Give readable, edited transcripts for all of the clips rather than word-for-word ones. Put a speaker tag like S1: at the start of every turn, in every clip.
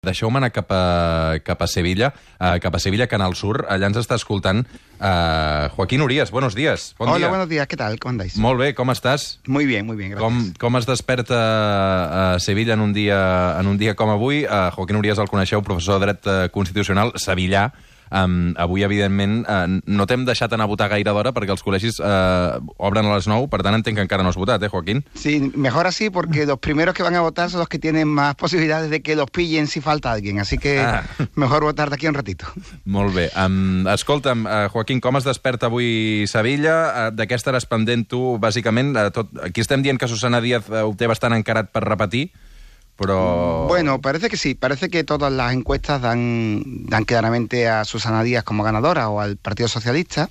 S1: Deixeu-me anar cap a Sevilla, Canal Sur. Allà ens està escoltant Joaquín Urías. Buenos días. Bon
S2: Hola,
S1: dia.
S2: buenos días. ¿Qué tal? ¿Cómo andáis?
S1: Molt bé, com estàs?
S2: Muy bien, gracias.
S1: Com es desperta a Sevilla en un dia com avui? Joaquín Urías el coneixeu, professor de dret constitucional, sevillà. Avui, evidentment, no t'hem deixat anar a votar gaire d'hora perquè els col·legis obren a les 9, per tant entenc que encara no has votat, Joaquín?
S2: Sí, mejor así porque los primeros que van a votar son los que tienen más posibilidades de que los pillen si falta alguien, así que mejor votar de aquí un ratito.
S1: Molt bé. Escolta'm, Joaquín, com es desperta avui Sevilla? De què estaràs pendent tu, bàsicament? Aquí estem dient que Susana Díaz ho té bastant encarat per repetir, pero...
S2: Bueno, parece que sí. Parece que todas las encuestas dan claramente a Susana Díaz como ganadora o al Partido Socialista.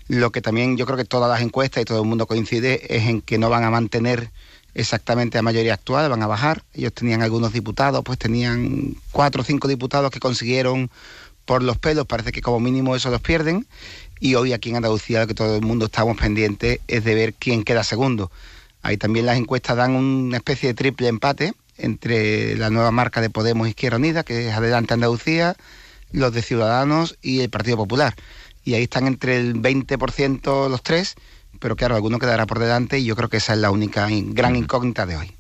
S2: Lo que también yo creo que todas las encuestas y todo el mundo coincide es en que no van a mantener exactamente la mayoría actual, van a bajar. Ellos tenían algunos diputados, pues tenían 4 o 5 diputados que consiguieron por los pelos. Parece que como mínimo eso los pierden. Y hoy aquí en Andalucía lo que todo el mundo estamos pendientes es de ver quién queda segundo. Ahí también las encuestas dan una especie de triple empate entre la nueva marca de Podemos Izquierda Unida, que es Adelante Andalucía, los de Ciudadanos y el Partido Popular. Y ahí están entre el 20% los tres, pero claro, alguno quedarà por delante y yo creo que esa es la única gran incògnita de hoy.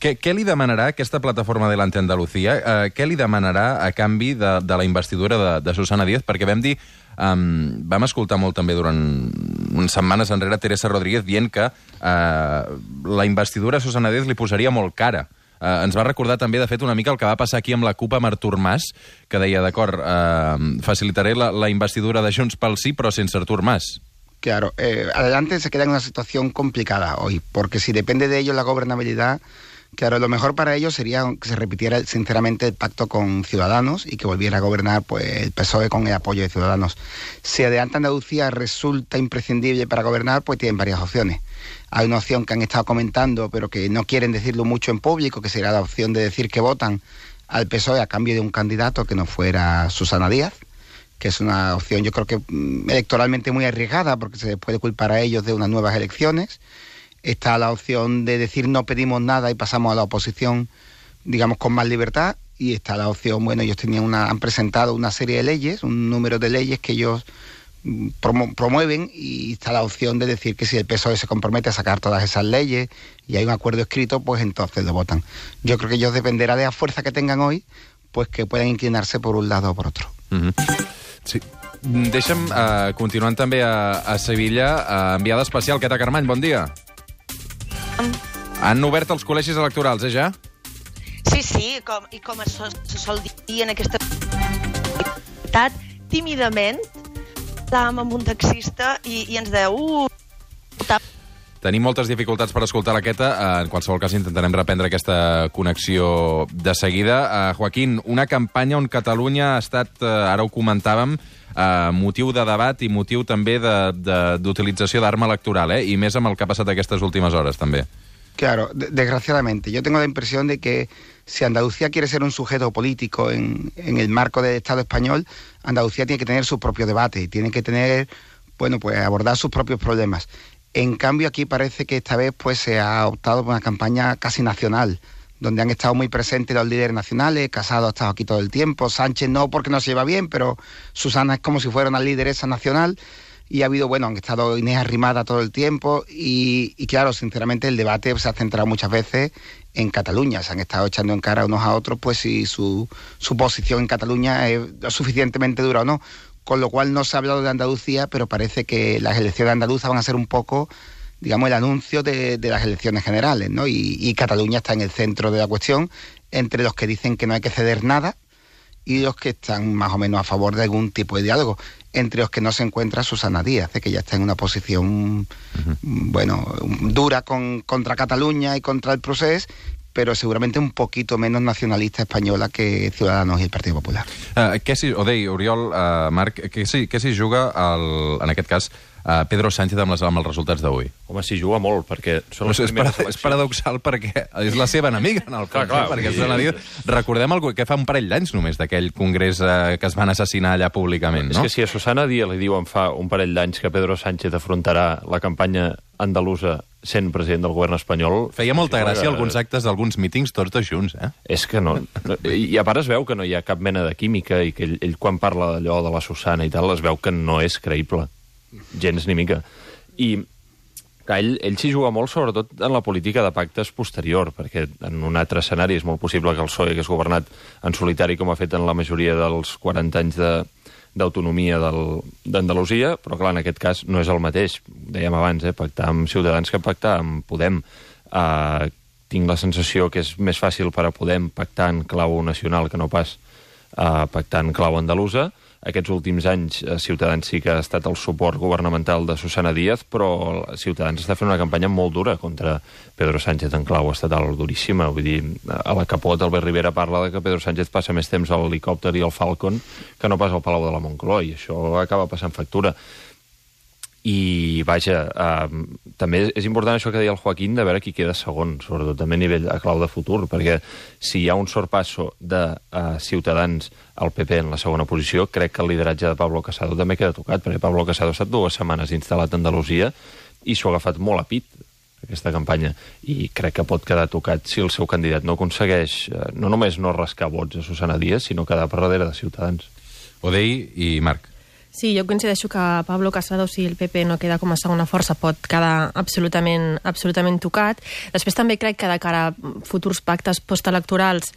S1: Què li demanarà aquesta plataforma Adelante Andalucía? Què li demanarà a canvi de la investidura de Susana Díaz? Perquè vam dir, vam escoltar molt també durant unes setmanes enrere Teresa Rodríguez dient que la investidura a Susana Díaz li posaria molt cara. Ens va recordar també, de fet, una mica el que va passar aquí amb la CUP amb Artur Mas, que deia, d'acord, facilitaré la investidura de Junts pel Sí, però sense Artur Mas.
S2: Claro, Adelante se queda en una situación complicada hoy, porque si depende de ellos la gobernabilidad, claro, lo mejor para ellos sería que se repitiera sinceramente el pacto con Ciudadanos y que volviera a gobernar pues el PSOE con el apoyo de Ciudadanos. Si Adelante Andalucía resulta imprescindible para gobernar, pues tienen varias opciones. Hay una opción que han estado comentando, pero que no quieren decirlo mucho en público, que sería la opción de decir que votan al PSOE a cambio de un candidato que no fuera Susana Díaz, que es una opción yo creo que electoralmente muy arriesgada, porque se les puede culpar a ellos de unas nuevas elecciones. Está la opción de decir no pedimos nada y pasamos a la oposición, digamos, con más libertad. Y está la opción, bueno, ellos han presentado una serie de leyes, un número de leyes que ellos promueven, y está la opción de decir que si el PSOE se compromete a sacar todas esas leyes y hay un acuerdo escrito, pues entonces lo votan. Yo creo que ellos dependerá de la fuerza que tengan hoy, pues que puedan inclinarse por un lado o por otro.
S1: Sí. Deixa'm, continuant també a Sevilla, enviada especial, Queta Carmany, bon dia. Han obert els col·legis electorals, ja?
S3: Sí, com es sol dir en aquesta... tímidament, estàvem amb un taxista i ens deia...
S1: Tenim moltes dificultats per escoltar la Queta. En qualsevol cas, intentarem reprendre aquesta connexió de seguida. Joaquín, una campanya on Catalunya ha estat, ara ho comentàvem, motiu de debat i motiu també d'utilització d'arma electoral, i més amb el que ha passat aquestes últimes hores, també.
S2: Claro, desgraciadamente. Yo tengo la impresión de que si Andalucía quiere ser un sujeto político en el marco del Estado español, Andalucía tiene que tener su propio debate y tiene que tener, bueno, pues abordar sus propios problemas. En cambio, aquí parece que esta vez pues se ha optado por una campaña casi nacional, donde han estado muy presentes los líderes nacionales. Casado ha estado aquí todo el tiempo, Sánchez no porque no se lleva bien, pero Susana es como si fuera una lideresa nacional. Y ha habido, bueno, han estado Inés Arrimada todo el tiempo y claro, sinceramente el debate se ha centrado muchas veces en Cataluña. Se han estado echando en cara unos a otros pues si su posición en Cataluña es lo suficientemente dura o no. Con lo cual no se ha hablado de Andalucía, pero parece que las elecciones andaluzas van a ser un poco, digamos, el anuncio de las elecciones generales, ¿no? Y Cataluña está en el centro de la cuestión, entre los que dicen que no hay que ceder nada y los que están más o menos a favor de algún tipo de diálogo, entre los que no se encuentra Susana Díaz, que ya está en una posición, bueno, dura contra Cataluña y contra el procés, però segurament un poquito menos nacionalista espanyola que Ciudadanos i el Partit Popular.
S1: Oriol, Marc, què s'hi juga, en aquest cas, Pedro Sánchez amb els resultats d'avui?
S4: Home, s'hi juga molt, perquè són les primeres eleccions.
S1: És paradoxal perquè és la seva enemiga, en el fons. Clar, perquè Susana Díaz... Recordem que fa un parell d'anys només d'aquell congrés que es van assassinar allà públicament, no?
S4: És que si a Susana Díaz li diuen fa un parell d'anys que Pedro Sánchez afrontarà la campanya andalusa sent president del govern espanyol...
S1: Feia molta gràcia alguns actes d'alguns mítings tots dos junts, eh?
S4: És que no... I a part es veu que no hi ha cap mena de química i que ell quan parla d'allò de la Susana i tal, es veu que no és creïble. Gens ni mica. I que ell s'hi juga molt, sobretot en la política de pactes posterior, perquè en un altre escenari és molt possible que el PSOE hagués governat en solitari com ha fet en la majoria dels 40 anys d'autonomia d'Andalusia, però clar, en aquest cas no és el mateix. Dèiem abans, pactar amb Ciutadans que pactar amb Podem. Tinc la sensació que és més fàcil per a Podem pactar en clau nacional que no pas pactar en clau andalusa. Aquests últims anys Ciutadans sí que ha estat el suport governamental de Susana Díaz, però Ciutadans està fent una campanya molt dura contra Pedro Sánchez en clau estatal, duríssima. Vull dir, a la Capot, Albert Rivera parla de que Pedro Sánchez passa més temps a l'helicòpter i al Falcon que no pas al Palau de la Moncloa, i això acaba passant factura. I, vaja, també és important això que deia el Joaquín, de veure qui queda segon, sobretot també a nivell a clau de futur, perquè si hi ha un sorpasso de Ciutadans al PP en la segona posició, crec que el lideratge de Pablo Casado també queda tocat, perquè Pablo Casado ha estat 2 setmanes instal·lat a Andalusia i s'ho ha agafat molt a pit, aquesta campanya, i crec que pot quedar tocat si el seu candidat no aconsegueix no només no rascar vots a Susana Díaz, sinó quedar per darrere de Ciutadans.
S1: Odei i Marc.
S5: Sí, jo coincideixo que Pablo Casado, si el PP no queda com a segona força, pot quedar absolutament tocat. Després també crec que de cara a futurs pactes postelectorals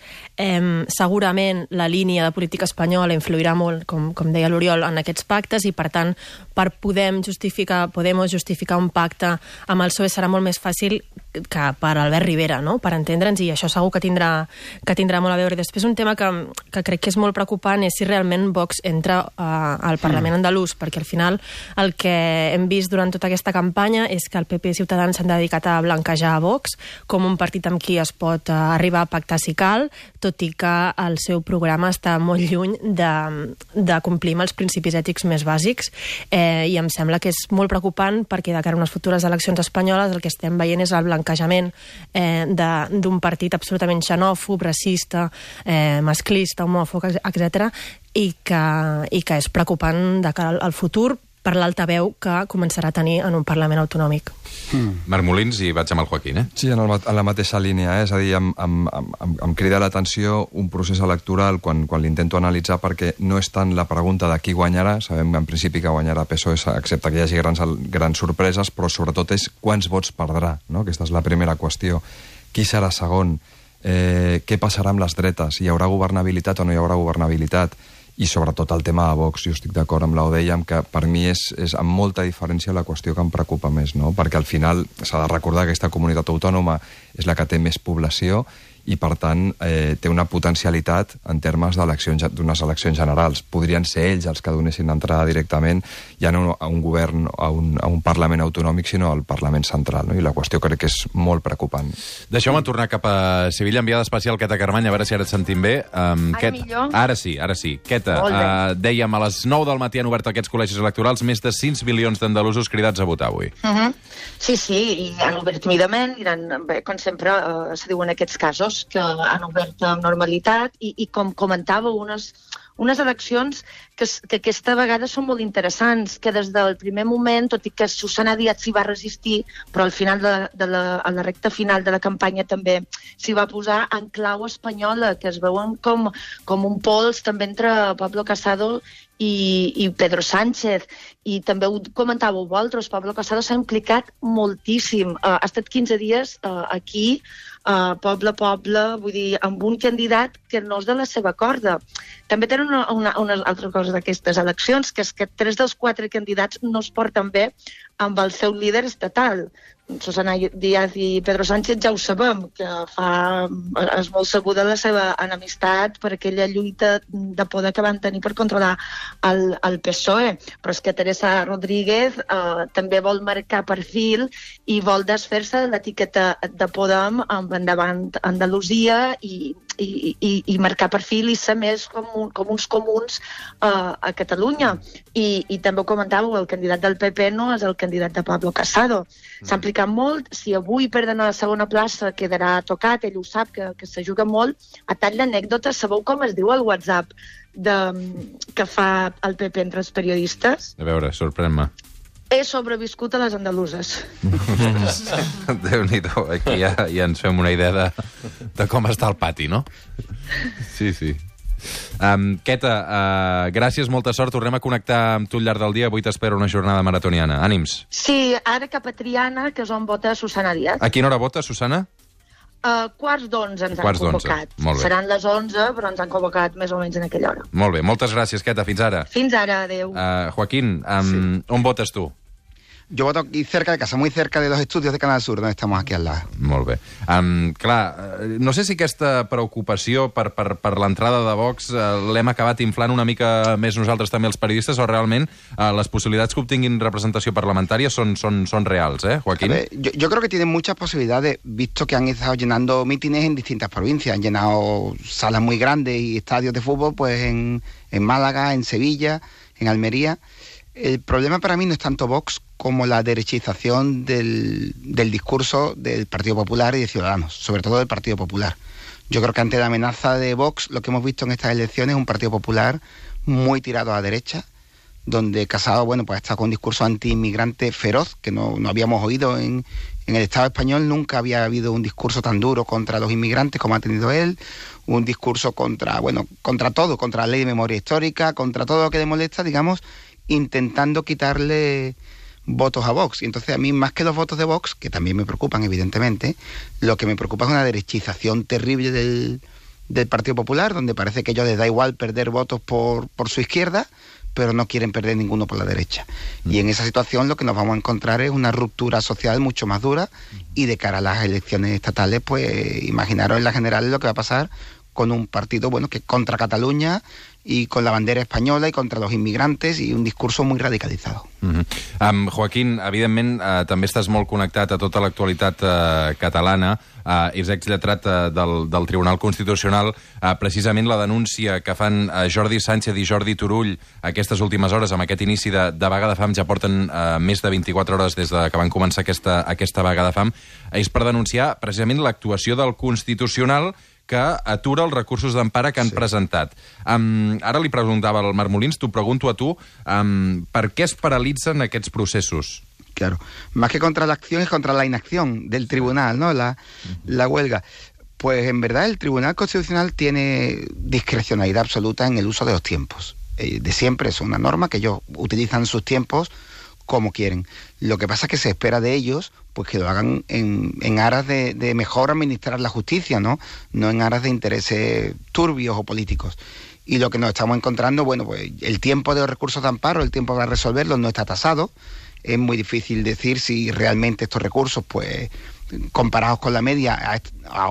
S5: segurament la línia de política espanyola influirà molt, com deia l'Oriol, en aquests pactes, i per tant per Podemos justificar un pacte amb el PSOE serà molt més fàcil que per Albert Rivera, no? Per entendre'ns, i això segur que tindrà molt a veure. I després un tema que crec que és molt preocupant és si realment Vox entra al Parlament andalús, perquè al final el que hem vist durant tota aquesta campanya és que el PP i Ciutadans s'han dedicat a blanquejar a Vox com un partit amb qui es pot arribar a pactar si cal, tot i que el seu programa està molt lluny de complir amb els principis ètics més bàsics, i em sembla que és molt preocupant perquè de cara a unes futures eleccions espanyoles el que estem veient és el blanquejament d'un partit absolutament xenòfob, racista, masclista, homòfob, etc., i que és preocupant de cara al futur per l'altaveu que començarà a tenir en un Parlament autonòmic.
S1: Marc Molins, i vaig amb el Joaquín,
S6: Sí, en la mateixa línia, és a dir, em crida l'atenció un procés electoral quan l'intento analitzar, perquè no és tant la pregunta de qui guanyarà, sabem en principi que guanyarà PSOE, excepte que hi hagi grans sorpreses, però sobretot és quants vots perdrà, no? Aquesta és la primera qüestió. Qui serà segon? Què passarà amb les dretes? Hi haurà governabilitat o no hi haurà governabilitat? I sobretot el tema de Vox, jo estic d'acord amb l'Odei, que per mi és amb molta diferència la qüestió que em preocupa més, no? Perquè al final s'ha de recordar que aquesta comunitat autònoma és la que té més població i, per tant, té una potencialitat en termes d'unes eleccions generals. Podrien ser ells els que donessin entrada directament, ja no a un govern, a un Parlament autonòmic, sinó al Parlament central, no? I la qüestió crec que és molt preocupant.
S1: Deixeu-me tornar cap a Sevilla, enviada especial Queta Carmany, a veure si ara et sentim bé.
S3: Millor?
S1: Ara sí. Queta, dèiem a les 9 del matí han obert aquests col·legis electorals, més de 6 milions d'andalusos cridats a votar avui.
S3: Sí, i han obert timidament, com sempre se diu en aquests casos, que han obert amb normalitat i com comentàveu, unes eleccions que aquesta vegada són molt interessants, que des del primer moment, tot i que Susana Díaz s'hi va resistir, però al final a la recta final de la campanya també s'hi va posar en clau espanyola, que es veuen com un pols també entre Pablo Casado i Pedro Sánchez. I també ho comentàveu vosaltres, Pablo Casado s'ha implicat moltíssim. Ha estat 15 dies aquí, poble a poble, vull dir, amb un candidat que no és de la seva corda. També tenen una altra cosa d'aquestes eleccions, que és que 3 dels 4 candidats no es porten bé amb el seu líder estatal. Susana Díaz i Pedro Sánchez ja ho sabem, que és molt sabuda la seva enemistat per aquella lluita de poder que van tenir per controlar el PSOE. Però és que Teresa Rodríguez també vol marcar perfil i vol desfer-se de l'etiqueta de Podem endavant Andalusia i i marcar perfil i ser més com uns comuns a Catalunya. I també ho comentàveu, el candidat del PP no és el candidat de Pablo Casado. S'ha implicat molt. Si avui perden a la segona plaça quedarà tocat, ell ho sap, que se juga molt. A tall d'anècdota, sabeu com es diu el WhatsApp que fa el PP entre els periodistes?
S1: A veure, sorprèn-me.
S3: He sobreviscut a les andaluses.
S1: Déu-n'hi-do, aquí ja ens fem una idea de com està el pati, no? Sí. Queta, gràcies, molta sort. Tornem a connectar amb tu al llarg del dia. Avui t'espera una jornada maratoniana. Ànims.
S3: Sí, ara cap a Triana, que és on vota Susana Díaz.
S1: A quina hora vota, Susana?
S3: 11:15 ens han convocat. Seran les 11, però ens han convocat més o menys en aquella hora.
S1: Molt bé, moltes gràcies, Queta. Fins ara.
S3: Fins ara, adeu.
S1: Joaquín, on votes tu?
S2: Yo voto aquí cerca de casa, muy cerca de los estudios de Canal Sur, donde estamos aquí al lado.
S1: Molt bé. Clar, no sé si aquesta preocupació per l'entrada de Vox l'hem acabat inflant una mica més nosaltres també els periodistes, o realment les possibilitats que obtinguin representació parlamentària són reals, Joaquín?
S2: A ver, yo creo que tienen muchas posibilidades, visto que han estado llenando mítines en distintas provincias. Han llenado salas muy grandes y estadios de fútbol pues en Málaga, en Sevilla, en Almería. El problema para mí no es tanto Vox como la derechización del discurso del Partido Popular y de Ciudadanos, sobre todo del Partido Popular. Yo creo que ante la amenaza de Vox, lo que hemos visto en estas elecciones es un Partido Popular muy tirado a la derecha, donde Casado, pues está con un discurso anti-inmigrante feroz, que no habíamos oído en el Estado español. Nunca había habido un discurso tan duro contra los inmigrantes como ha tenido él, un discurso contra todo, contra la ley de memoria histórica, contra todo lo que le molesta, digamos, intentando quitarle votos a Vox. Y entonces a mí, más que los votos de Vox, que también me preocupan evidentemente, lo que me preocupa es una derechización terrible del Partido Popular, donde parece que a ellos les da igual perder votos por su izquierda, pero no quieren perder ninguno por la derecha. Y en esa situación lo que nos vamos a encontrar es una ruptura social mucho más dura, y de cara a las elecciones estatales, pues imaginaros en las generales lo que va a pasar con un partido que contra Catalunya y con la bandera espanyola i contra los inmigrantes, i un discurso muy radicalizado.
S1: Joaquín, evidentment, també estàs molt connectat a tota l'actualitat catalana. És exlletrat del Tribunal Constitucional. Precisament la denúncia que fan Jordi Sánchez i Jordi Turull aquestes últimes hores, amb aquest inici de vaga de fam, ja porten més de 24 hores des que van començar aquesta vaga de fam, és per denunciar precisament l'actuació del Constitucional, que atura els recursos d'empara que han presentat. Ara li preguntava al Marc Molins, t'ho pregunto a tu, per què es paralitzen aquests processos?
S2: Claro, más que contra la acción es contra la inacción del tribunal, ¿no? La huelga. Pues en verdad el Tribunal Constitucional tiene discrecionalidad absoluta en el uso de los tiempos. De siempre es una norma que ellos utilizan sus tiempos como quieren. Lo que pasa es que se espera de ellos pues que lo hagan en aras de mejor administrar la justicia, ¿no? No en aras de intereses turbios o políticos. Y lo que nos estamos encontrando, pues el tiempo de los recursos de amparo, el tiempo para resolverlos no está tasado. Es muy difícil decir si realmente estos recursos, pues comparados con la media,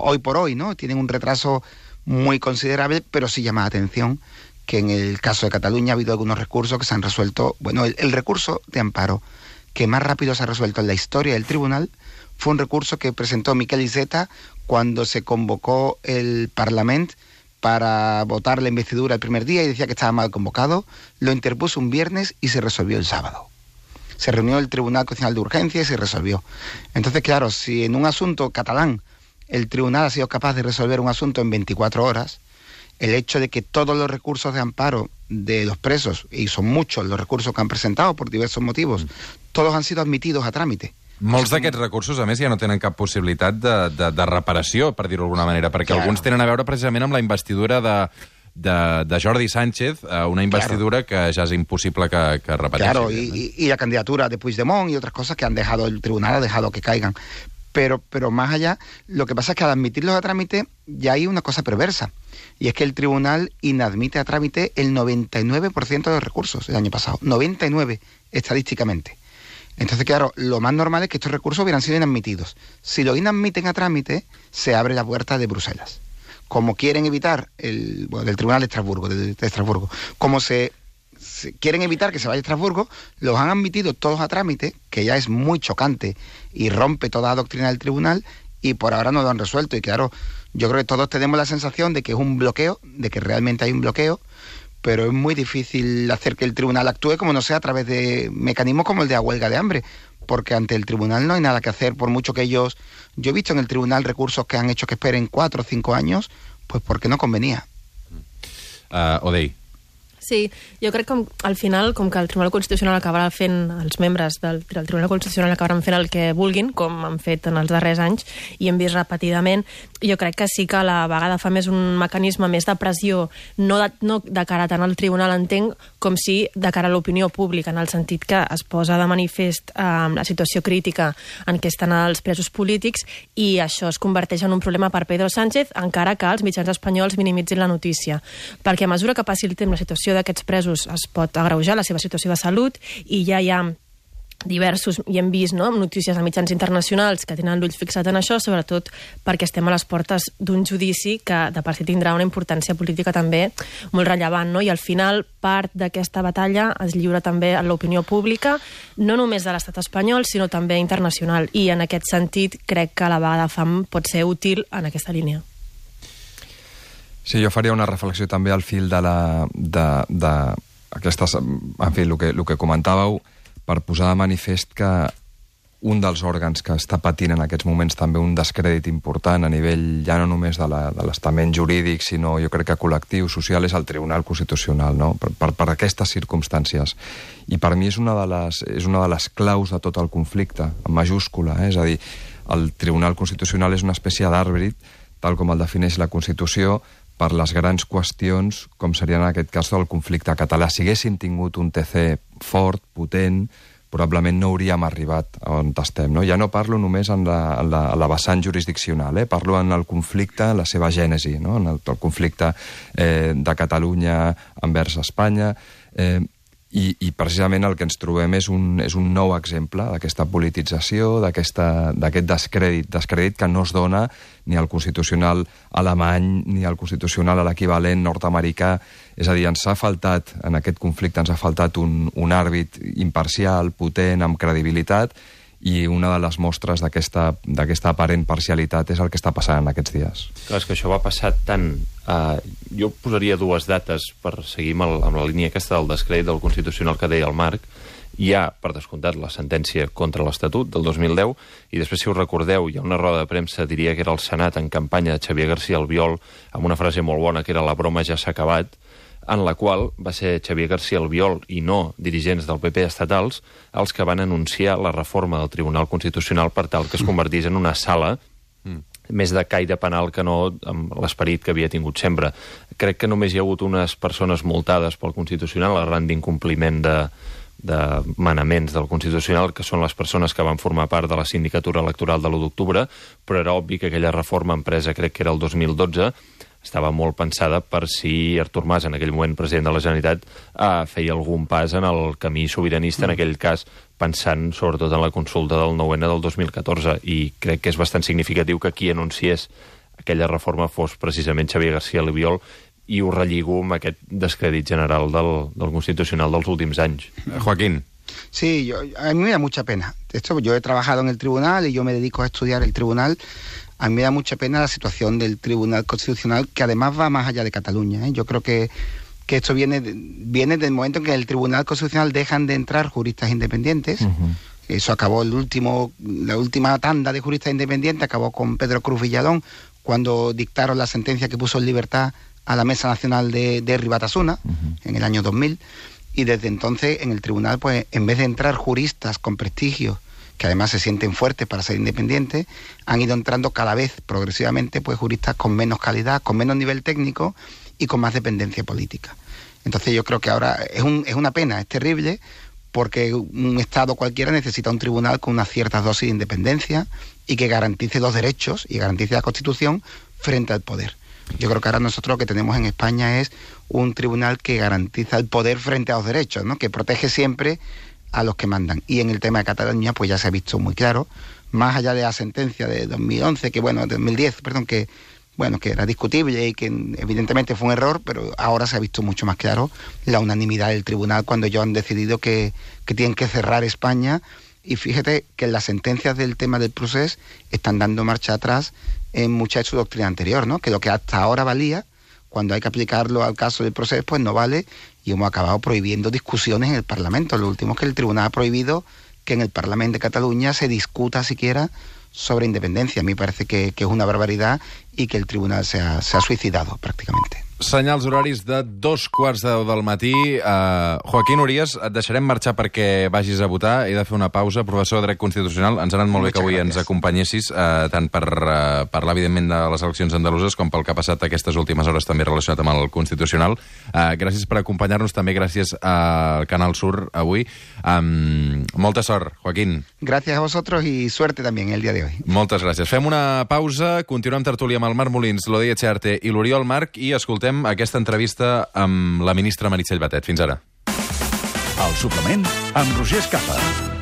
S2: hoy por hoy, ¿no? Tienen un retraso muy considerable, pero sí llama la atención que en el caso de Cataluña ha habido algunos recursos que se han resuelto. Bueno, el recurso de amparo que más rápido se ha resuelto en la historia del tribunal fue un recurso que presentó Miquel Iceta cuando se convocó el Parlament para votar la investidura el primer día y decía que estaba mal convocado. Lo interpuso un viernes y se resolvió el sábado. Se reunió el Tribunal Constitucional de Urgencia y se resolvió. Entonces, claro, si en un asunto catalán el tribunal ha sido capaz de resolver un asunto en 24 horas, el hecho de que todos los recursos de amparo de los presos, y son muchos los recursos que han presentado por diversos motivos, todos han sido admitidos a trámite.
S1: Molts d'aquests recursos, a més, ja no tenen cap possibilitat de reparació, per dir-ho d'alguna manera, perquè alguns tenen a veure precisament amb la investidura de Jordi Sánchez, una investidura que ja és impossible que repeteixi.
S2: Claro, y la candidatura de Puigdemont y otras cosas que han dejado el tribunal, ha dejado que caigan. Pero más allá, lo que pasa es que al admitirlos a trámite ya hay una cosa perversa, y es que el tribunal inadmite a trámite el 99% de los recursos el año pasado, 99 estadísticamente. Entonces, claro, lo más normal es que estos recursos hubieran sido inadmitidos. Si lo inadmiten a trámite, se abre la puerta de Bruselas. Como quieren evitar del Tribunal de Estrasburgo, como se quieren evitar que se vaya a Estrasburgo, los han admitido todos a trámite, que ya es muy chocante y rompe toda la doctrina del tribunal, y por ahora no lo han resuelto. Y claro, Yo creo que todos tenemos la sensación de que es un bloqueo, de que realmente hay un bloqueo, pero es muy difícil hacer que el tribunal actúe como no sea a través de mecanismos como el de la huelga de hambre, porque ante el tribunal no hay nada que hacer, por mucho que ellos... Yo he visto en el tribunal recursos que han hecho que esperen 4 o 5 años, pues porque no convenía.
S1: Odey.
S5: Sí, jo crec que al final, com que el Tribunal Constitucional acabarà fent, els membres del Tribunal Constitucional acabaran fent el que vulguin, com han fet en els darrers anys, i hem vist repetidament, jo crec que sí que a la vegada fa més un mecanisme més de pressió, no de cara tant al tribunal, entenc, com si de cara a l'opinió pública, en el sentit que es posa de manifest la situació crítica en què estan els presos polítics, i això es converteix en un problema per Pedro Sánchez, encara que els mitjans espanyols minimitzin la notícia. Perquè a mesura que passi el temps, la situació d'aquests presos es pot agreujar, la seva situació de salut, i ja hi ha diversos, i hem vist notícies de mitjans internacionals que tenen l'ull fixat en això, sobretot perquè estem a les portes d'un judici que de per si tindrà una importància política també molt rellevant, no? I al final part d'aquesta batalla es lliura també a l'opinió pública, no només de l'estat espanyol, sinó també internacional, i en aquest sentit crec que la vaga de fam pot ser útil en aquesta línia.
S6: Sí, jo faria una reflexió també al fil d'aquestes... En fi, el que comentàveu, per posar de manifest que un dels òrgans que està patint en aquests moments també un descrèdit important a nivell ja no només de l'estament jurídic, sinó jo crec que col·lectiu, social, és el Tribunal Constitucional, no? Per aquestes circumstàncies. I per mi és una de les claus de tot el conflicte, en majúscula, és a dir, el Tribunal Constitucional és una espècie d'àrbit, tal com el defineix la Constitució, per les grans qüestions, com seria en aquest cas del conflicte català. Si haguéssim tingut un TC fort, potent, probablement no hauríem arribat on estem. No? Ja no parlo només en la vessant jurisdiccional, parlo en el conflicte, en la seva gènesi, no? En el conflicte de Catalunya envers Espanya, i precisament el que ens trobem és un nou exemple d'aquesta politització, d'aquest descrèdit que no es dona ni al constitucional alemany ni al constitucional a l'equivalent nord-americà. És a dir, ens ha faltat, en aquest conflicte, ens ha faltat un àrbit imparcial, potent, amb credibilitat, i una de les mostres d'aquesta aparent parcialitat és el que està passant en aquests dies.
S4: Clar, és que això va passar tant... jo posaria 2 dates per seguir amb la línia aquesta del descrèdit del Constitucional que deia el Marc. Hi ha, per descomptat, la sentència contra l'Estatut del 2010, i després, si us recordeu, hi ha una roda de premsa, diria que era el Senat en campanya de Xavier García Albiol, amb una frase molt bona, que era "la broma ja s'ha acabat", en la qual va ser Xavier García Albiol i no dirigents del PP estatals els que van anunciar la reforma del Tribunal Constitucional per tal que es convertís en una sala més de caire penal que no amb l'esperit que havia tingut sempre. Crec que només hi ha hagut unes persones multades pel Constitucional arran d'incompliment de manaments del Constitucional, que són les persones que van formar part de la sindicatura electoral de l'1 d'octubre, però era obvi que aquella reforma empresa, crec que era el 2012, estava molt pensada per si Artur Mas, en aquell moment president de la Generalitat, feia algun pas en el camí sobiranista, en aquell cas pensant sobretot en la consulta del 9-N del 2014, i crec que és bastant significatiu que qui anunciés aquella reforma fos precisament Xavier García Albiol, i ho relligo amb aquest descrèdit general del Constitucional dels últims anys.
S1: Joaquín.
S2: Sí, a mí me da mucha pena. De hecho, yo he trabajado en el tribunal y yo me dedico a estudiar el tribunal. A mí me da mucha pena la situación del Tribunal Constitucional, que además va más allá de Cataluña. Yo creo que esto viene del momento en que en el Tribunal Constitucional dejan de entrar juristas independientes. Eso acabó la última tanda de juristas independientes, acabó con Pedro Cruz Villalón, cuando dictaron la sentencia que puso en libertad a la Mesa Nacional de Ribatasuna, en el año 2000. Y desde entonces en el tribunal, pues en vez de entrar juristas con prestigio, que además se sienten fuertes para ser independientes, han ido entrando cada vez progresivamente pues juristas con menos calidad, con menos nivel técnico y con más dependencia política. Entonces yo creo que ahora es una pena, es terrible, porque un Estado cualquiera necesita un tribunal con unas ciertas dosis de independencia y que garantice los derechos y garantice la Constitución frente al poder. Yo creo que ahora nosotros lo que tenemos en España es un tribunal que garantiza el poder frente a los derechos, ¿no? Que protege siempre a los que mandan. Y en el tema de Cataluña, pues ya se ha visto muy claro, más allá de la sentencia de 2011, de 2010, perdón, que era discutible y que evidentemente fue un error, pero ahora se ha visto mucho más claro la unanimidad del tribunal cuando ellos han decidido que tienen que cerrar España. Y fíjate que las sentencias del tema del procés están dando marcha atrás en mucha de su doctrina anterior, ¿no? Que lo que hasta ahora valía, cuando hay que aplicarlo al caso del proceso, pues no vale, y hemos acabado prohibiendo discusiones en el Parlamento. Lo último es que el Tribunal ha prohibido que en el Parlamento de Cataluña se discuta siquiera sobre independencia. A mí parece que es una barbaridad y que el Tribunal se ha suicidado prácticamente.
S1: Senyals horaris de 2:15 del matí. Joaquín Urías, et deixarem marxar perquè vagis a votar. He de fer una pausa. Professor de Dret Constitucional, ens ha anat molt bé que avui ens acompanyessis, tant per parlar, evidentment, de les eleccions andaluses com pel que ha passat aquestes últimes hores també relacionat amb el Constitucional. Gràcies per acompanyar-nos, també gràcies al Canal Sur avui. Molta sort, Joaquín.
S2: Gracias a vosotros y suerte también el día de hoy.
S1: Moltes gràcies. Fem una pausa, continuem tertúlia amb el Marc Molins, l'Odei Etxearte i l'Oriol Marc i escoltem aquesta entrevista amb la ministra Meritxell Batet. Fins ara.
S7: El suplement amb Roger Escapa.